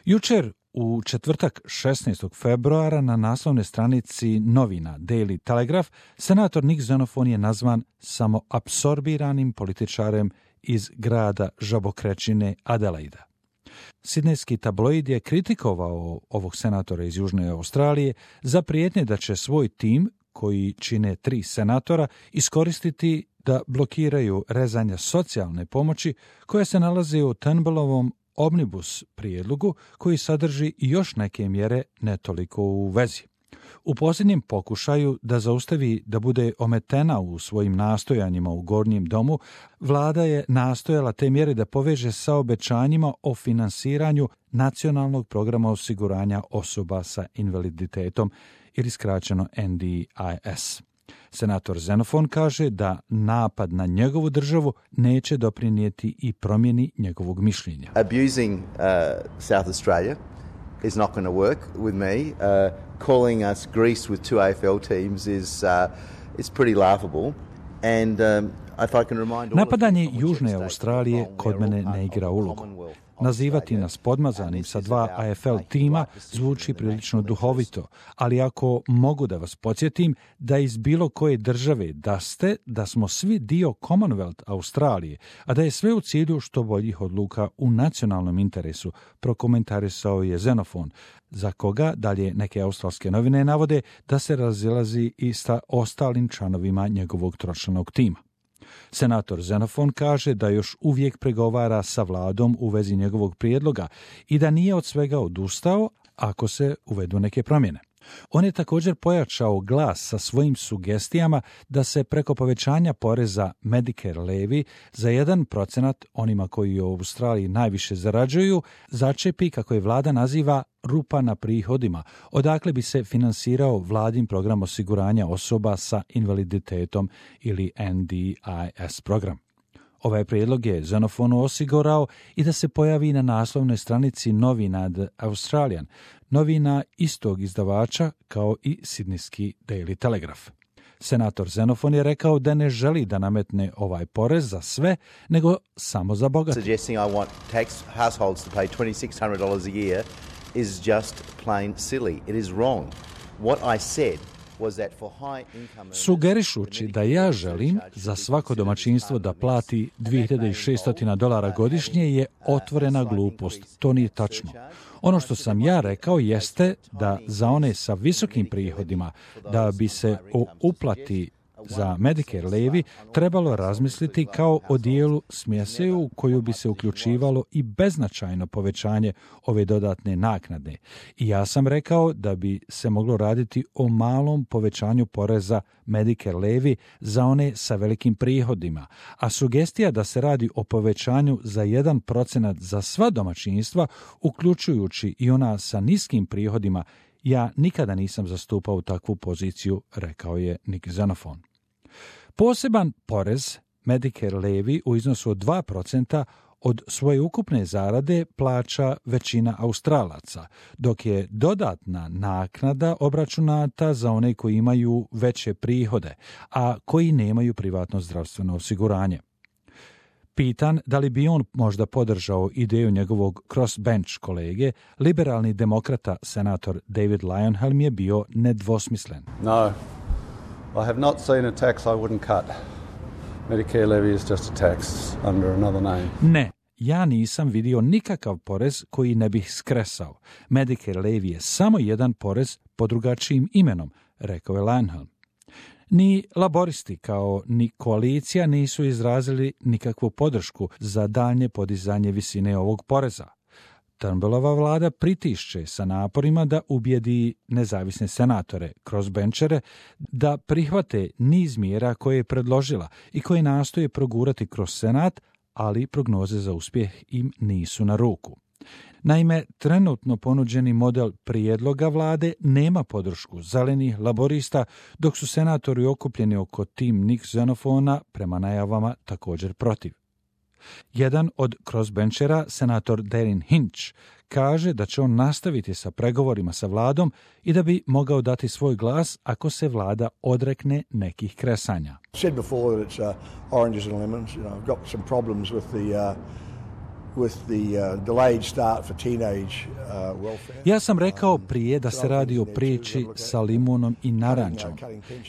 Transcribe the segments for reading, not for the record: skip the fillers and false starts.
Jučer, u četvrtak 16. februara, na naslovnoj stranici novina Daily Telegraph, senator Nick Xenophon je nazvan samo apsorbiranim političarem iz grada žabokrećine Adelaida. Sidnejski tabloid je kritikovao ovog senatora iz Južne Australije za prijetnje da će svoj tim, koji čine 3 senatora, iskoristiti da blokiraju rezanja socijalne pomoći koja se nalazi u Turnbullovom omnibus prijedlogu, koji sadrži još neke mjere ne toliko u vezi. U posljednjem pokušaju da zaustavi da bude ometena u svojim nastojanjima u Gornjem domu, vlada je nastojala te mjere da poveže sa obećanjima o finansiranju nacionalnog programa osiguranja osoba sa invaliditetom, ili skraćeno NDIS. Senator Xenophon kaže da napad na njegovu državu neće doprinijeti i promjeni njegovog mišljenja. Abusing South Australia is not going to work with me. Calling us Greece with 2 AFL teams is pretty laughable. And if I can remind all Napadanje Južne Australije kod mene ne igra ulogu. Nazivati nas podmazanim sa 2 AFL tima zvuči prilično duhovito, ali ako mogu da vas podsjetim da iz bilo koje države da smo svi dio Commonwealth Australije, a da je sve u cilju što boljih odluka u nacionalnom interesu, prokomentarisao je Xenophon, za koga dalje neke australske novine navode da se razilazi i sa ostalim članovima njegovog tročlanog tima. Senator Xenophon kaže da još uvijek pregovara sa vladom u vezi njegovog prijedloga i da nije od svega odustao ako se uvedu neke promjene. On je također pojačao glas sa svojim sugestijama da se preko povećanja poreza Medicare levy za 1% onima koji u Australiji najviše zarađuju začepi, kako je vlada naziva, rupa na prihodima, odakle bi se finansirao vladin program osiguranja osoba sa invaliditetom ili NDIS program. Ovaj prijedlog je Xenophonu osigurao i da se pojavi na naslovnoj stranici novina The Australian, novina istog izdavača kao i sidnijski Daily Telegraph. Senator Xenophon je rekao da ne želi da nametne ovaj porez za sve, nego samo za bogate. Suggesting I want households to pay $2,600 a year is just plain silly. It is wrong. What I said sugerišući da ja želim za svako domaćinstvo da plati $2,600 godišnje je otvorena glupost. To nije tačno. Ono što sam ja rekao jeste da za one sa visokim prihodima, da bi se o uplati za Medicare levy trebalo razmisliti kao o dijelu smjese u koju bi se uključivalo i beznačajno povećanje ove dodatne naknade. I ja sam rekao da bi se moglo raditi o malom povećanju poreza Medicare levy za one sa velikim prihodima, a sugestija da se radi o povećanju za 1% za sva domaćinstva, uključujući i ona sa niskim prihodima, ja nikada nisam zastupao takvu poziciju, rekao je Nick Xenophon. Poseban porez Medicare levy u iznosu od 2% od svoje ukupne zarade plaća većina Australaca, dok je dodatna naknada obračunata za one koji imaju veće prihode, a koji nemaju privatno zdravstveno osiguranje. Pitan da li bi on možda podržao ideju njegovog crossbench kolege, liberalni demokrata senator David Leyonhjelm je bio nedvosmislen. No, I have not seen a tax I wouldn't cut. Medicare levy is just a tax under another name. Ne, ja nisam vidio nikakav porez koji ne bih skresao. Medicare levy je samo jedan porez pod drugačijim imenom, rekao je Leyonhjelm. Ni laboristi kao ni koalicija nisu izrazili nikakvu podršku za daljnje podizanje visine ovog poreza. Turnbullova vlada pritišće sa naporima da ubijedi nezavisne senatore, crossbenchere, da prihvate niz mjera koje je predložila i koje nastoje progurati kroz senat, ali prognoze za uspjeh im nisu na ruku. Naime, trenutno ponuđeni model prijedloga vlade nema podršku zelenih laborista, dok su senatori okupljeni oko tim Nick Xenophona prema najavama također protiv. Jedan od crossbenchera, senator Darren Hinch, kaže da će on nastaviti sa pregovorima sa vladom i da bi mogao dati svoj glas ako se vlada odrekne nekih kresanja. Ja sam rekao prije da se radi o priči sa limunom i narančom.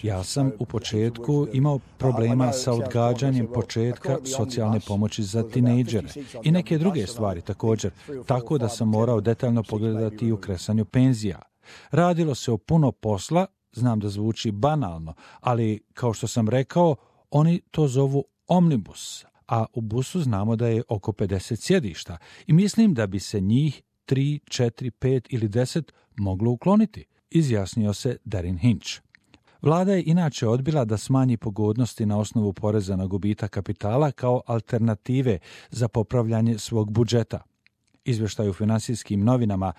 Ja sam u početku imao problema sa odgađanjem početka socijalne pomoći za tinejdžere i neke druge stvari također, tako da sam morao detaljno pogledati i u kresanju penzija. Radilo se o puno posla, znam da zvuči banalno, ali kao što sam rekao, oni to zovu omnibus, a u busu znamo da je oko 50 sjedišta i mislim da bi se njih 3, 4, 5 ili 10 moglo ukloniti, izjasnio se Darin Hinch. Vlada je inače odbila da smanji pogodnosti na osnovu poreza na gubitak kapitala kao alternative za popravljanje svog budžeta. Izvještaj u finansijskim novinama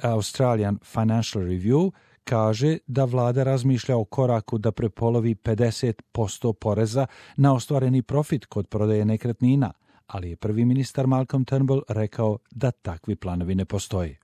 Australian Financial Review kaže da vlada razmišlja o koraku da prepolovi 50% poreza na ostvareni profit kod prodaje nekretnina, ali je prvi ministar Malcolm Turnbull rekao da takvi planovi ne postoje.